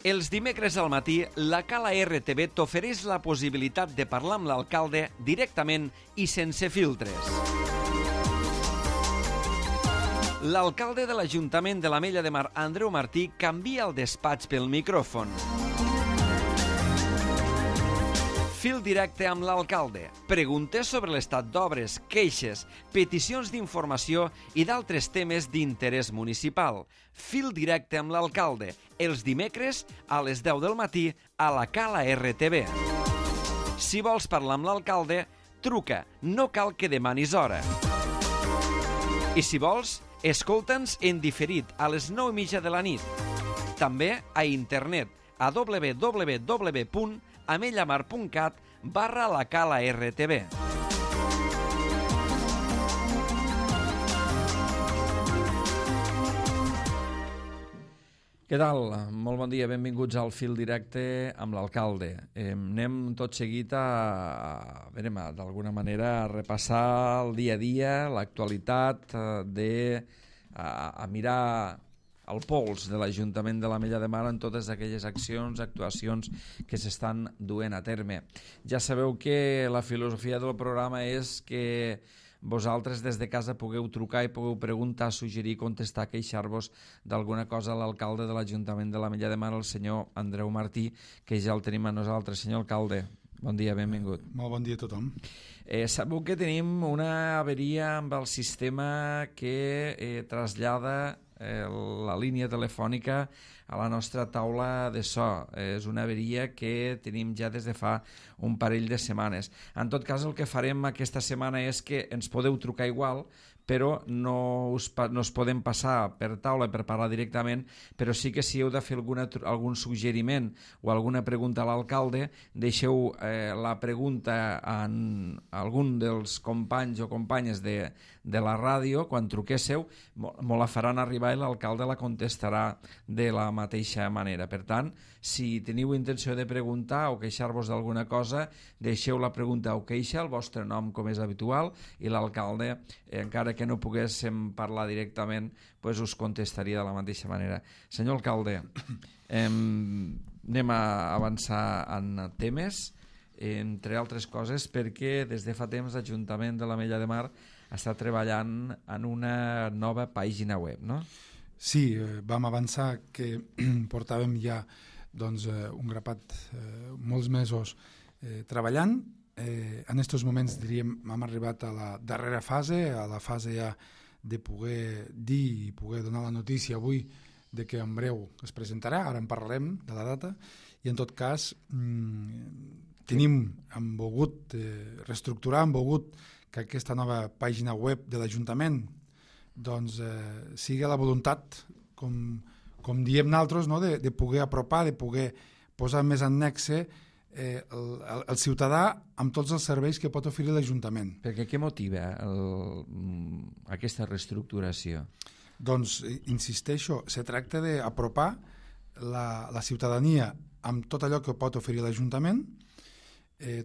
Els dimecres al matí, la Cala RTV t'ofereix la possibilitat de parlar amb l'alcalde directament i sense filtres. L'alcalde de l'Ajuntament de l'Ametlla de Mar, Andreu Martí, canvia el despatx pel micròfon. Fil directe amb l'alcalde. Preguntes sobre l'estat d'obres, queixes, peticions d'informació i d'altres temes d'interès municipal. Fil directe amb l'alcalde. Els dimecres a les 10 del matí a la Cala RTV. Si vols parlar amb l'alcalde, truca. No cal que demanis hora. I si vols, escolta'ns en diferit a les 9:30 de la nit. També a internet a www.amellamar.cat/la Cala RTV. Què tal? Molt bon dia, benvinguts al Fil Directe amb l'alcalde. Anem tot seguit d'alguna manera a repassar el dia a dia, l'actualitat, a mirar el pols de l'Ajuntament de l'Ametlla de Mar en totes aquelles accions, actuacions que s'estan duent a terme. Ja sabeu que la filosofia del programa és que vosaltres des de casa pugueu trucar i pugueu preguntar, suggerir, contestar, queixar-vos d'alguna cosa a l'alcalde de l'Ajuntament de l'Ametlla de Mar, el senyor Andreu Martí, que ja el tenim a nosaltres. Senyor alcalde, bon dia, benvingut. Molt bon dia a tothom. Sabeu que tenim una averia amb el sistema que trasllada la línia telefònica a la nostra taula de so. És una averia que tenim ja des de fa un parell de setmanes. En tot cas, el que farem aquesta setmana és que ens podeu trucar igual, però no us podem passar per taula per parlar directament, però sí que si heu de fer algun suggeriment o alguna pregunta a l'alcalde, deixeu la pregunta a algun dels companys o companyes de la ràdio. Quan truquéssiu, me la faran arribar i l'alcalde la contestarà de la mateixa manera. Per tant, si teniu intenció de preguntar o queixar-vos d'alguna cosa, deixeu la pregunta o queixa, el vostre nom com és habitual, i l'alcalde, encara que no poguéssim parlar directament, pues us contestaria de la mateixa manera. Senyor alcalde, anem a avançar en temes, entre altres coses, perquè des de fa temps l'Ajuntament de l'Ametlla de Mar està treballant en una nova pàgina web, no? Sí, vam avançar que portàvem ja un grapat, molts mesos treballant. En aquests moments, diríem, hem arribat a la darrera fase, a la fase ja de poder dir i poder donar la notícia avui de que en breu es presentarà. Ara en parlarem de la data i en tot cas hem volgut reestructurar, hem volgut que aquesta nova pàgina web de l'Ajuntament sigui la voluntat, com diem nosaltres, no? de poder apropar, de poder posar més en nexe el ciutadà amb tots els serveis que pot oferir l'Ajuntament. Perquè què motiva aquesta reestructuració? Doncs, insisteixo, se tracta d'apropar la ciutadania amb tot allò que pot oferir l'Ajuntament,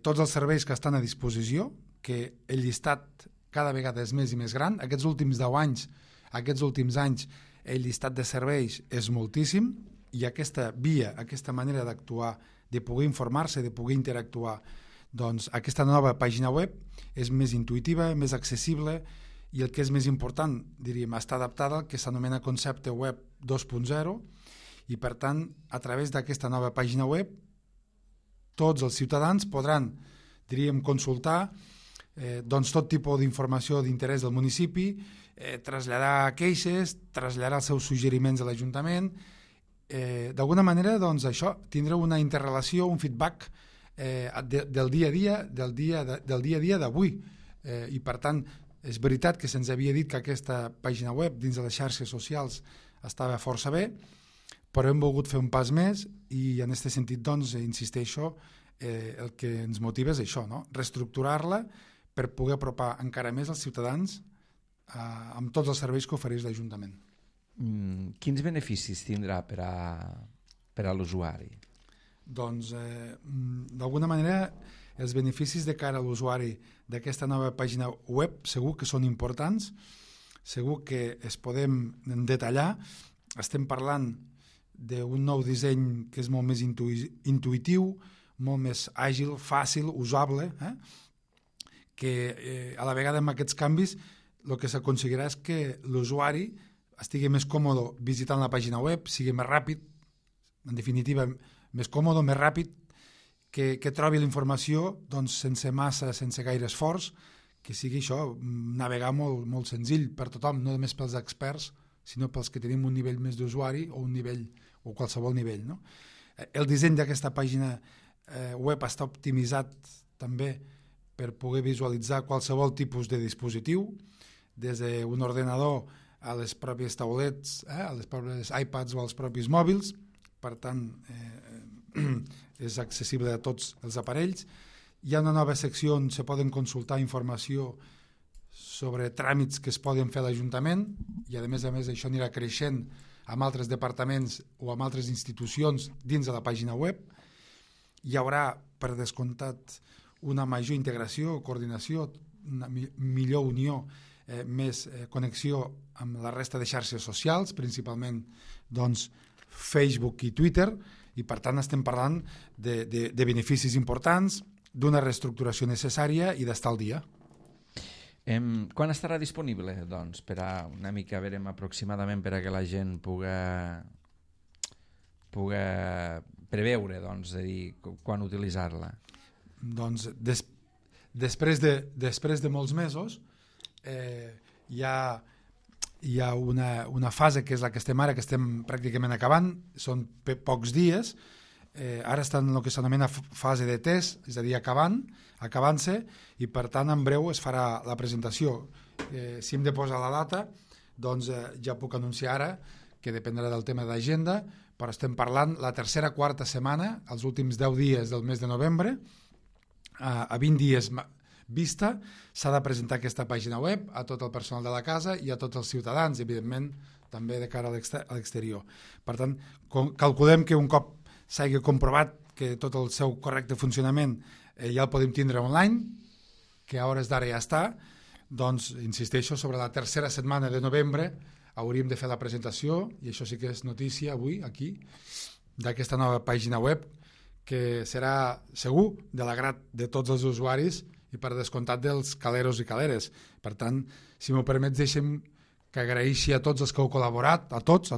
tots els serveis que estan a disposició, que el llistat cada vegada és més i més gran. Aquests últims 10 anys, aquests últims anys, el llistat de serveis és moltíssim i aquesta via, aquesta manera d'actuar, de poder informar-se, de poder interactuar, doncs aquesta nova pàgina web és més intuïtiva, més accessible i el que és més important, diríem, està adaptada al que s'anomena concepte web 2.0 i per tant, a través d'aquesta nova pàgina web, tots els ciutadans podran, diríem, consultar tot tipus d'informació d'interès del municipi, traslladar queixes, traslladar els seus suggeriments a l'Ajuntament. D'alguna manera, això, tindrà una interrelació, un feedback del dia a dia d'avui. I per tant, és veritat que se'ns havia dit que aquesta pàgina web dins de les xarxes socials estava força bé, però hem volgut fer un pas més i en aquest sentit, insisteixo, el que ens motiva és això, no? Reestructurar-la per poder apropar encara més els ciutadans amb tots els serveis que ofereix l'Ajuntament. Quins beneficis tindrà per a l'usuari? Doncs, d'alguna manera, els beneficis de cara a l'usuari d'aquesta nova pàgina web segur que són importants, segur que es podem detallar. Estem parlant d'un nou disseny que és molt més intuïtiu, molt més àgil, fàcil, usable, que a la vegada amb aquests canvis el que s'aconseguirà és que l'usuari estigui més còmode visitant la pàgina web, sigui més ràpid, en definitiva, més còmode, més ràpid, que trobi la informació doncs, sense gaire esforç, que sigui això, navegar molt, molt senzill per tothom, no només pels experts, sinó pels que tenim un nivell més d'usuari o un nivell o qualsevol nivell. No? El disseny d'aquesta pàgina web està optimitzat també per poder visualitzar qualsevol tipus de dispositiu, des d'un ordenador a les pròpies taulets, a les pròpies iPads o als propis mòbils, per tant és accessible a tots els aparells. Hi ha una nova secció on se poden consultar informació sobre tràmits que es poden fer a l'Ajuntament i a més això anirà creixent amb altres departaments o amb altres institucions dins de la pàgina web. Hi haurà, per descomptat, una major integració, coordinació, una millor unió, més connexió amb la resta de xarxes socials, principalment doncs, Facebook i Twitter, i per tant estem parlant de beneficis importants, d'una reestructuració necessària i d'estar al dia. Quan estarà disponible, doncs, per a una mica, verem aproximadament per a que la gent puga preveure, doncs, de dir, quan utilitzar-la? Doncs després de molts mesos hi ha una fase que és la que estem ara, que estem pràcticament acabant, són pocs dies, ara estan en el que s'anomena fase de test, és a dir, acabant-se, i per tant en breu es farà la presentació. Si hem de posar la data, doncs ja puc anunciar ara, que dependrà del tema d'agenda, però estem parlant la tercera, quarta setmana, els últims 10 dies del mes de novembre, a 20 dies vista, s'ha de presentar aquesta pàgina web a tot el personal de la casa i a tots els ciutadans, evidentment, també de cara a l'exterior. Per tant, calculem que un cop s'hagi comprovat que tot el seu correcte funcionament ja el podem tindre online, que a hores d'ara ja està, doncs, insisteixo, sobre la tercera setmana de novembre hauríem de fer la presentació, i això sí que és notícia avui, aquí, d'aquesta nova pàgina web, que serà segur de l'agrat de tots els usuaris i per descomptat dels caleros i caleres. Per tant, si m'ho permets, deixem que agraeixi a tots els que heu col·laborat, a tots,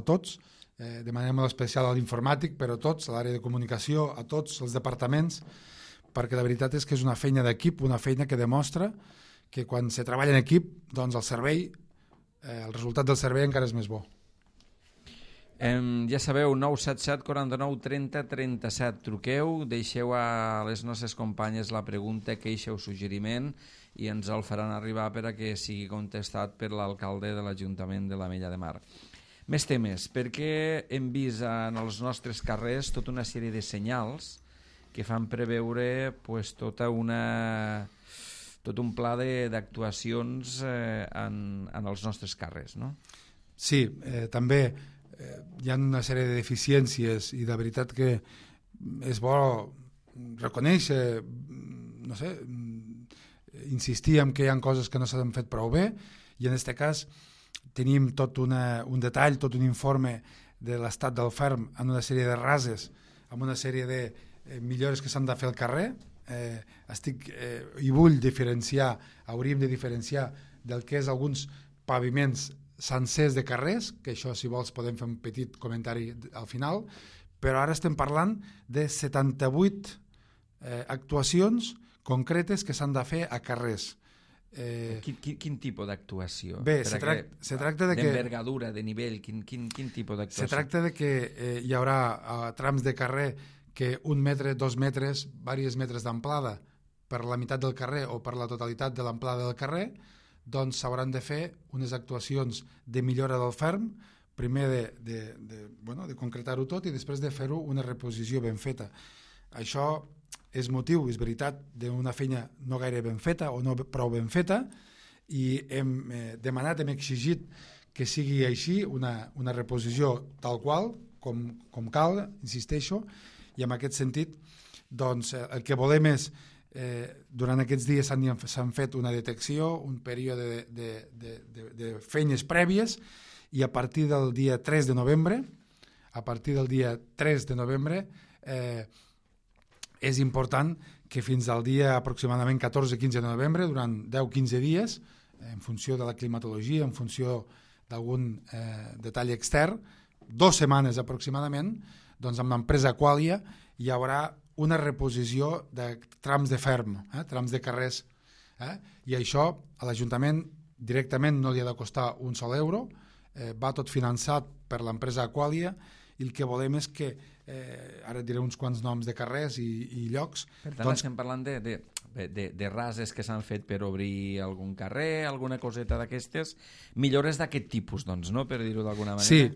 de manera molt especial a l'informàtic, però a tots, a l'àrea de comunicació, a tots els departaments, perquè la veritat és que és una feina d'equip, una feina que demostra que quan se treballa en equip, doncs el servei, el resultat del servei encara és més bo. Ja sabeu, 977 49 30 37, truqueu, deixeu a les nostres companyes la pregunta, queixa o suggeriment i ens el faran arribar per a que sigui contestat per l'alcalde de l'Ajuntament de l'Ametlla de Mar. Més temes, perquè hem vist en els nostres carrers tota una sèrie de senyals que fan preveure tot un pla d'actuacions en els nostres carrers, no? Sí, també hi ha una sèrie de deficiències i de veritat que és bo reconèixer, no sé, insistir en que hi ha coses que no s'han fet prou bé, i en aquest cas tenim tot un detall, tot un informe de l'estat del ferm en una sèrie de rases, amb una sèrie de millores que s'han de fer al carrer. I vull diferenciar, hauríem de diferenciar del que és alguns paviments sencers de carrers, que això, si vols, podem fer un petit comentari al final, però ara estem parlant de 78 actuacions concretes que s'han de fer a carrers. Quin tipus d'actuació? Bé, se tracta de que... D'envergadura, de nivell, quin tipus d'actuació? Se tracta de que hi haurà trams de carrer que 1 metre, 2 metres, diversos metres d'amplada per la meitat del carrer o per la totalitat de l'amplada del carrer, doncs s'hauran de fer unes actuacions de millora del ferm, primer de concretar-ho tot i després de fer-ho una reposició ben feta. Això és motiu, és veritat, d'una feina no gaire ben feta o no prou ben feta, i hem demanat, hem exigit que sigui així, una reposició tal qual, com cal, insisteixo, i en aquest sentit doncs, el que volem és durant aquests dies s'han fet una detecció, un període de feines prèvies, i a partir del dia 3 de novembre a partir del dia 3 de novembre és important que fins al dia aproximadament 14-15 de novembre, durant 10-15 dies, en funció de la climatologia, en funció d'algun detall extern, 2 setmanes aproximadament, doncs amb l'empresa Aqualia hi haurà una reposició de trams de ferm, trams de carrers, i això a l'Ajuntament directament no li ha de costar un sol euro, va tot finançat per l'empresa Aqualia, i el que volem és que, ara et diré uns quants noms de carrers i llocs. Per tant, estem parlant de rases que s'han fet per obrir algun carrer, alguna coseta d'aquestes, millores d'aquest tipus, doncs, no?, per dir-ho d'alguna manera. Sí,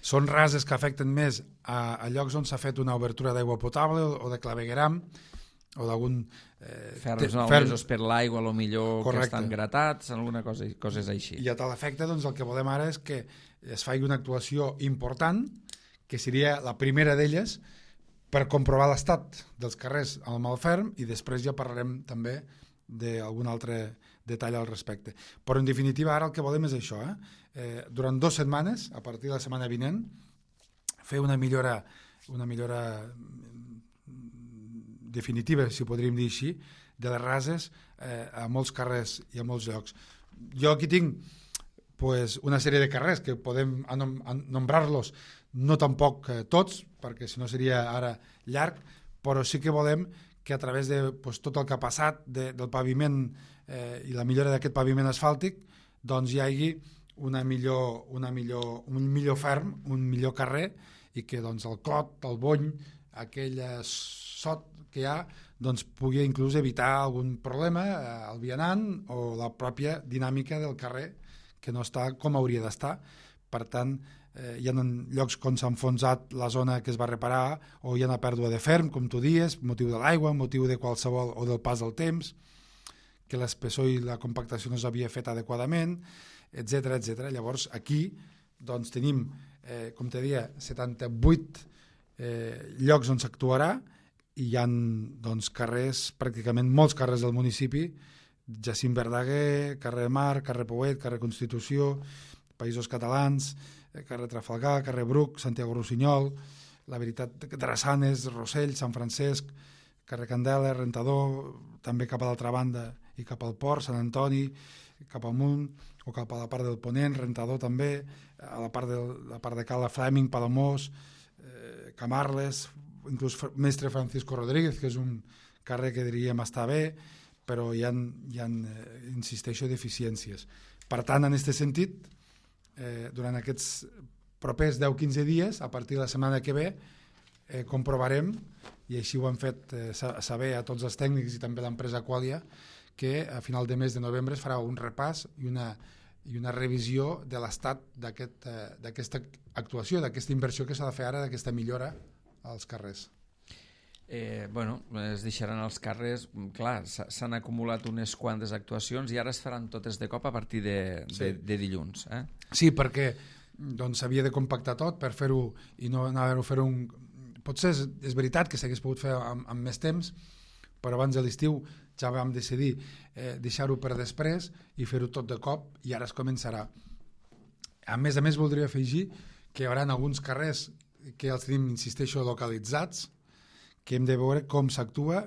són rases que afecten més a llocs on s'ha fet una obertura d'aigua potable o de clavegueram, o d'algun... ferms malmesos per l'aigua, millor correcte, que estan gratats, alguna cosa, coses així. I a tal efecte, doncs, el que volem ara és que es faci una actuació important, que seria la primera d'elles, per comprovar l'estat dels carrers al Malferm, i després ja parlarem també d'algun altre detall al respecte. Però, en definitiva, ara el que volem és això. Durant 2 setmanes, a partir de la setmana vinent, fer una millora definitiva, si podríem dir així, de les rases a molts carrers i a molts llocs. Jo aquí tinc una sèrie de carrers que podem nombrar-los, no tampoc tots, perquè si no seria ara llarg, però sí que volem que a través de tot el que ha passat del paviment i la millora d'aquest paviment asfàltic, doncs hi hagi un millor ferm, un millor carrer, i que doncs, el clot, el bony, aquell sot que hi ha, doncs, pugui inclús evitar algun problema al vianant o la pròpia dinàmica del carrer, que no està com hauria d'estar. Per tant, hi ha llocs on s'ha enfonsat la zona que es va reparar, o hi ha una pèrdua de ferm, com tu dius, motiu de l'aigua, motiu de qualsevol, o del pas del temps, que l'espessor i la compactació no s'havia fet adequadament, etc etc. Llavors, aquí doncs, tenim, com te deia, 78 llocs on s'actuarà, i hi ha doncs, carrers, pràcticament molts carrers del municipi, Jacint Verdaguer, carrer Mar, carrer Pouet, carrer Constitució, Països Catalans, carrer Trafalgar, carrer Bruc, Santiago Rossinyol, La Veritat, Drassanes, Rossell, Sant Francesc, carrer Candela, Rentador, també cap a l'altra banda i cap al Port, Sant Antoni, cap amunt, o cap a la part del Ponent, Rentador també, a la part de Cala Fleming, Palamós, Camarles, inclús Mestre Francisco Rodríguez, que és un carrer que diríem està bé, però hi ha insisteixo, deficiències. Per tant, en aquest sentit, durant aquests propers 10-15 dies, a partir de la setmana que ve, comprovarem, i així ho han fet saber a tots els tècnics i també l'empresa Aqualia, que a final de mes de novembre es farà un repàs i una revisió de l'estat d'aquesta actuació, d'aquesta inversió que s'ha de fer ara, d'aquesta millora als carrers. Es deixaran els carrers, clar, s'han acumulat unes quantes actuacions i ara es faran totes de cop a partir de dilluns. Sí, perquè s'havia de compactar tot per fer-ho i no anar-ho a fer Potser és veritat que s'hagués pogut fer amb més temps, però abans de l'estiu ja vam decidir deixar-ho per després i fer-ho tot de cop, i ara es començarà. A més, voldria afegir que hi haurà alguns carrers que els tenim, insisteixo, localitzats, que hem de veure com s'actua,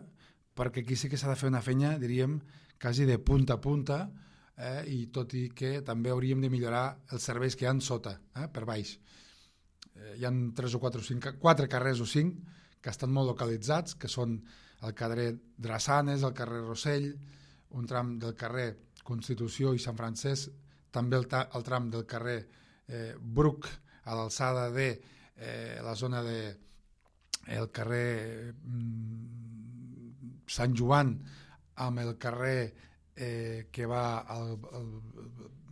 perquè aquí sí que s'ha de fer una feina, diríem, quasi de punta a punta, i tot i que també hauríem de millorar els serveis que hi ha sota, per baix. Hi ha 3 o 4 o 5, 4 carrers o 5 que estan molt localitzats, que són el carrer Drassanes, el carrer Rossell, un tram del carrer Constitució i Sant Francesc, també el tram del carrer Bruc, a l'alçada de la zona del carrer Sant Joan, amb el carrer que va al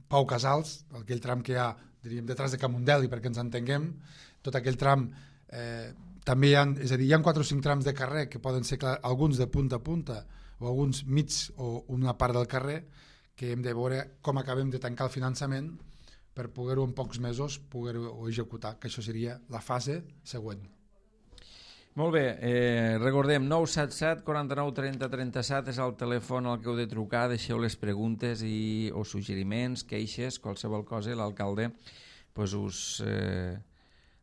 Pau Casals, aquell tram que hi ha, diríem, detrás de Camundeli, perquè ens entenguem, tot aquell tram també hi ha, és a dir, hi ha 4 o 5 trams de carrer que poden ser alguns de punta a punta o alguns mig o una part del carrer, que hem de veure com acabem de tancar el finançament per poder-ho en pocs mesos poder-ho executar, que això seria la fase següent. Molt bé, recordem, 977 49 30 37 és el telèfon al que heu de trucar, deixeu les preguntes o suggeriments, queixes, qualsevol cosa, l'alcalde us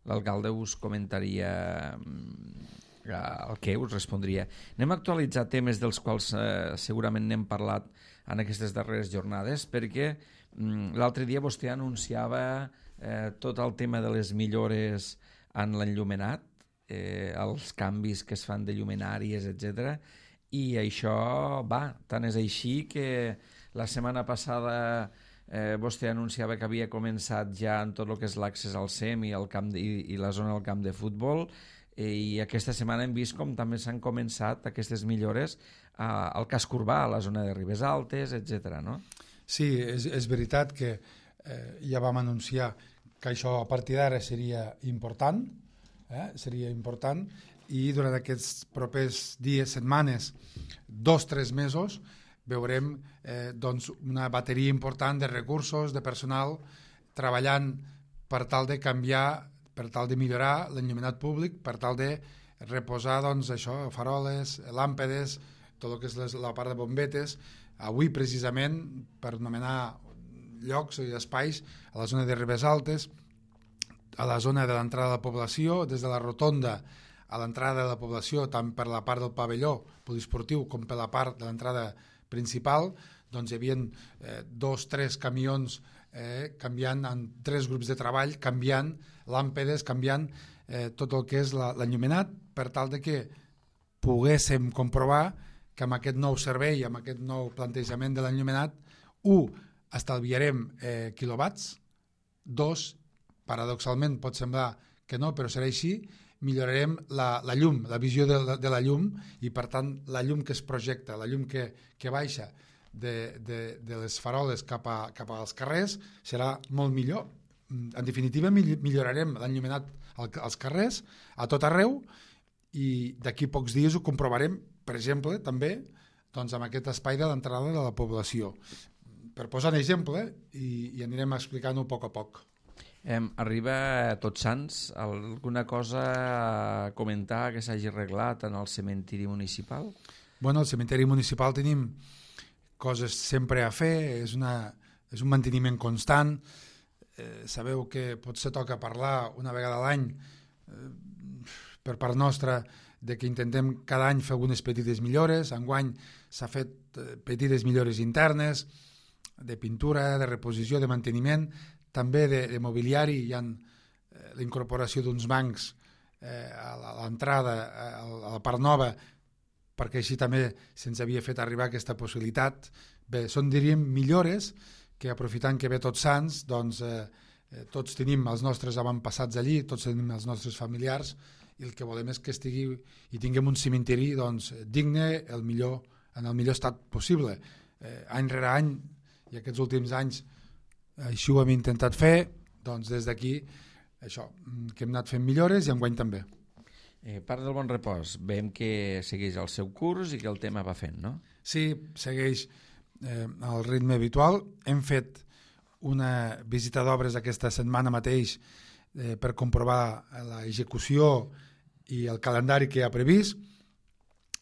l'alcalde us comentaria el que us respondria. Anem a actualitzar temes dels quals segurament n'hem parlat en aquestes darreres jornades, perquè l'altre dia vostè anunciava tot el tema de les millores en l'enllumenat, els canvis que es fan de llumenàries, etc. I això tant és així que la setmana passada vostè anunciava que havia començat ja en tot el que és l'accés al SEM i la zona del camp de futbol, i aquesta setmana hem vist com també s'han començat aquestes millores al casc urbà, a la zona de Ribes Altes, etc. no? Sí, és veritat que ja vam anunciar que això a partir d'ara seria important, i durant aquests propers dies, setmanes, 2-3 mesos, veurem doncs una bateria important de recursos, de personal, treballant per tal de canviar, per tal de millorar l'enllumenat públic, per tal de reposar doncs, això, faroles, làmpades, tot el que és la part de bombetes. Avui, precisament, per anomenar llocs i espais, a la zona de Ribes Altes, a la zona de l'entrada de la població, des de la rotonda a l'entrada de la població, tant per la part del pavelló poliesportiu com per la part de l'entrada principal, doncs hi havia 2-3 camions canviant en 3 grups de treball, canviant làmpades, canviant tot el que és l'enllumenat, per tal de que poguéssim comprovar que amb aquest nou servei, amb aquest nou plantejament de l'enllumenat, 1, estalviarem quilowatts, 2, paradoxalment pot semblar que no, però serà així, millorarem la llum, la visió de la llum, i per tant la llum que es projecta, la llum que baixa de les faroles cap als carrers serà molt millor. En definitiva, millorarem l'enllumenat als carrers a tot arreu, i d'aquí pocs dies ho comprovarem, per exemple, també doncs, amb aquest espai de l'entrada de la població. Per posar un exemple, i anirem explicant-ho a poc. Arriba Tots Sants, alguna cosa a comentar que s'hagi arreglat en el cementiri municipal? Bueno, al cementiri municipal tenim coses sempre a fer, és un manteniment constant. Sabeu que potser toca parlar una vegada a l'any per part nostra de que intentem cada any fer algunes petites millores. Enguany s'ha fet petites millores internes, de pintura, de reposició, de manteniment, també de mobiliari. Hi ha la incorporació d'uns bancs a l'entrada, a la part nova, perquè així també se'ns havia fet arribar aquesta possibilitat. Bé, són, diríem, millores que, aprofitant que ve Tots Sants, doncs tots tenim els nostres avantpassats allí, tots tenim els nostres familiars, i el que volem és que estigui i tinguem un cementiri doncs, digne, en el millor estat possible. Any rere any, i aquests últims anys així ho hem intentat fer, doncs des d'aquí això, que hem anat fent millores, i enguany també. Part del Bon Repòs, veiem que segueix el seu curs i que el tema va fent, no? Sí, segueix el ritme habitual. Hem fet una visita d'obres aquesta setmana mateix per comprovar l'execució i el calendari que hi ha previst,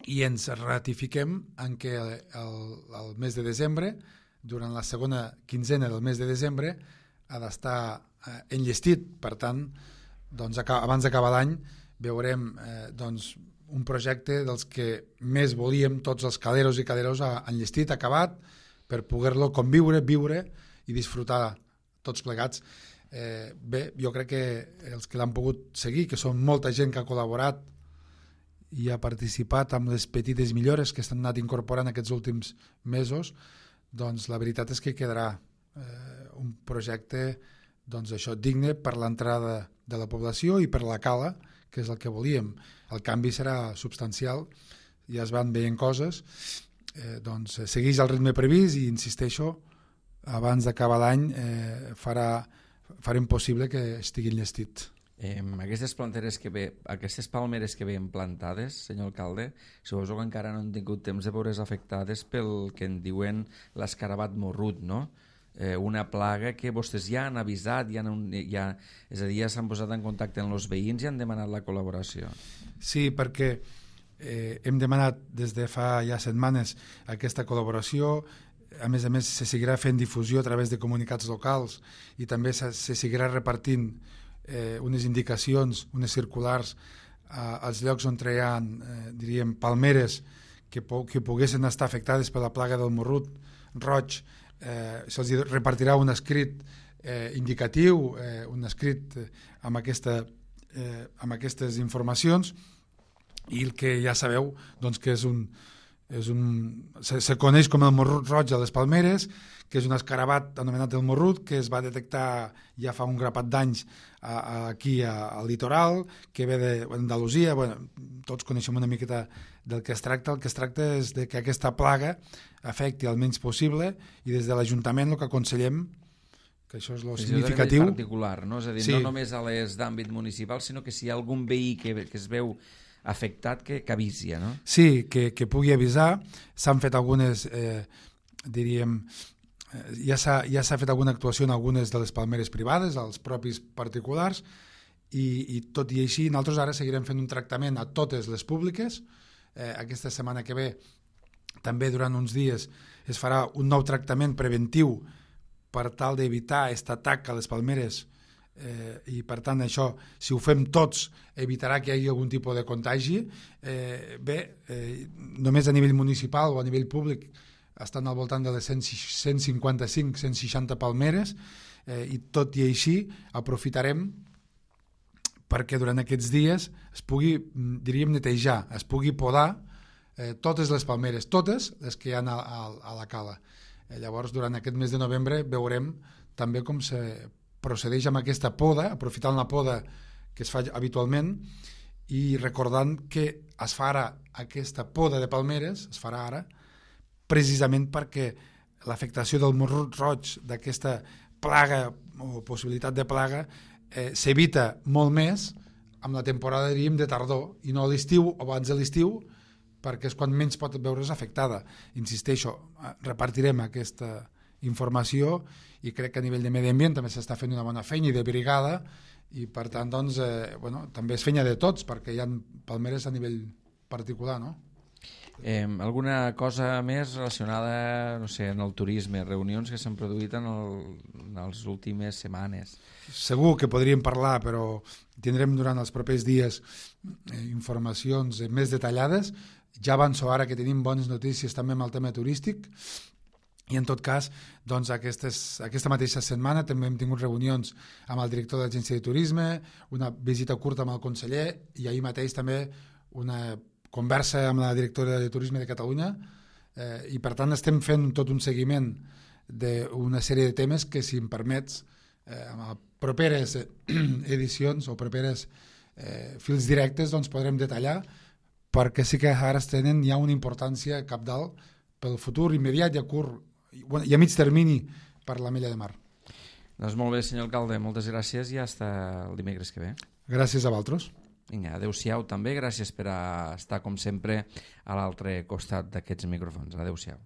i ens ratifiquem en què el mes de desembre, durant la segona quinzena del mes de desembre, ha d'estar enllestit. Per tant, doncs, abans d'acabar l'any veurem doncs, un projecte dels que més volíem tots els caleros i caleros enllestit, acabat, per poder-lo conviure, viure i disfrutar tots plegats. Bé, jo crec que els que l'han pogut seguir, que són molta gent que ha col·laborat i ha participat amb les petites millores que s'han anat incorporant aquests últims mesos, doncs la veritat és que quedarà un projecte doncs, això, digne per l'entrada de la població i per la cala, que és el que volíem. El canvi serà substancial, ja es van veient coses, doncs segueix el ritme previst, i insisteixo, abans d'acabar l'any farem possible que estigui enllestit. Aquestes palmeres que veiem plantades, senyor alcalde, suposo que encara no han tingut temps de veure's afectades pel que en diuen l'escarabat morrut, no? Una plaga que vostès ja han avisat, és a dir, ja s'han posat en contacte amb els veïns i han demanat la col·laboració. Sí, perquè hem demanat des de fa ja setmanes aquesta col·laboració. A més, se seguirà fent difusió a través de comunicats locals, i també se seguirà repartint unes indicacions, unes circulars als llocs on hi ha, diríem, palmeres que poguessin estar afectades per la plaga del morrut roig. Se'ls repartirà un escrit indicatiu, un escrit amb aquestes informacions, i el que ja sabeu doncs, que se coneix com el morrut roig a les palmeres, que és un escarabat anomenat el morrut, que es va detectar ja fa un grapat d'anys aquí al litoral, que ve d'Andalusia. Tots coneixem una miqueta del que es tracta. El que es tracta és de que aquesta plaga afecti el menys possible, i des de l'Ajuntament el que aconsellem, que això és el significatiu... És particular, no? És a dir, no només a les d'àmbit municipal, sinó que si hi ha algun veí que es veu afectat, que avisi, no? Sí, que pugui avisar. S'han fet algunes, diríem, ja s'ha fet alguna actuació en algunes de les palmeres privades, als propis particulars, i tot i així nosaltres ara seguirem fent un tractament a totes les públiques. Aquesta setmana que ve, també durant uns dies, es farà un nou tractament preventiu per tal d'evitar aquest atac a les palmeres, i per tant això, si ho fem tots, evitarà que hi hagi algun tipus de contagi. Només a nivell municipal o a nivell públic estan al voltant de les 155-160 palmeres, i tot i així aprofitarem perquè durant aquests dies es pugui, diríem, netejar, es pugui podar totes les palmeres, totes les que hi ha a la cala. Llavors, durant aquest mes de novembre veurem també com se procedeix amb aquesta poda, aprofitant la poda que es fa habitualment, i recordant que es farà aquesta poda de palmeres, es farà ara, precisament perquè l'afectació del morrut roig, d'aquesta plaga o possibilitat de plaga, s'evita molt més amb la temporada, diríem, de tardor, i no a l'estiu o abans de l'estiu, perquè és quan menys pot veure's afectada. Insisteixo, repartirem aquesta informació, i crec que a nivell de medi ambient també s'està fent una bona feina, i de brigada, i per tant doncs, també és feina de tots, perquè hi ha palmeres a nivell particular, no? Alguna cosa més relacionada, no sé, en el turisme, reunions que s'han produït en les últimes setmanes? Segur que podríem parlar, però tindrem durant els propers dies informacions més detallades. Ja avanço ara que tenim bones notícies també amb el tema turístic, i en tot cas, doncs, aquesta mateixa setmana també hem tingut reunions amb el director de l'Agència de Turisme, una visita curta amb el conseller, i ahir mateix també una conversa amb la directora de Turisme de Catalunya, i per tant estem fent tot un seguiment d'una sèrie de temes que, si em permets, amb properes edicions o properes fils directes doncs podrem detallar, perquè sí que ara tenen ja una importància cabdal pel futur immediat i a curt i a mig termini per l'Ametlla de Mar. Doncs molt bé, senyor alcalde, moltes gràcies i fins el dimecres que ve. Gràcies a vosaltres. Vinga, adeu-siau també, gràcies per estar com sempre a l'altre costat d'aquests micròfons. Adeu-siau.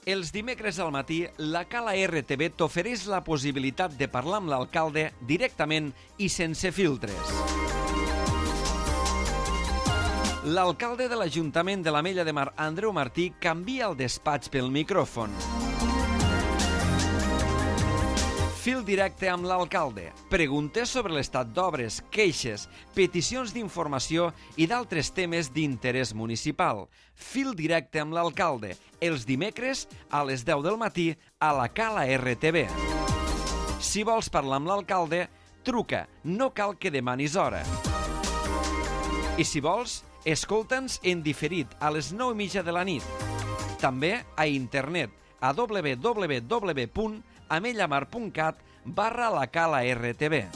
Els dimecres al matí, la Cala RTV t'ofereix la possibilitat de parlar amb l'alcalde directament i sense filtres. L'alcalde de l'Ajuntament de l'Ametlla de Mar, Andreu Martí, canvia el despatx pel micròfon. Fil directe amb l'alcalde. Preguntes sobre l'estat d'obres, queixes, peticions d'informació i d'altres temes d'interès municipal. Fil directe amb l'alcalde. Els dimecres a les 10 del matí a la Cala RTV. Si vols parlar amb l'alcalde, truca. No cal que demanis hora. I si vols, escolta'ns en diferit a les 9:30 de la nit. També a internet a www.amellamar.cat/la Cala RTV.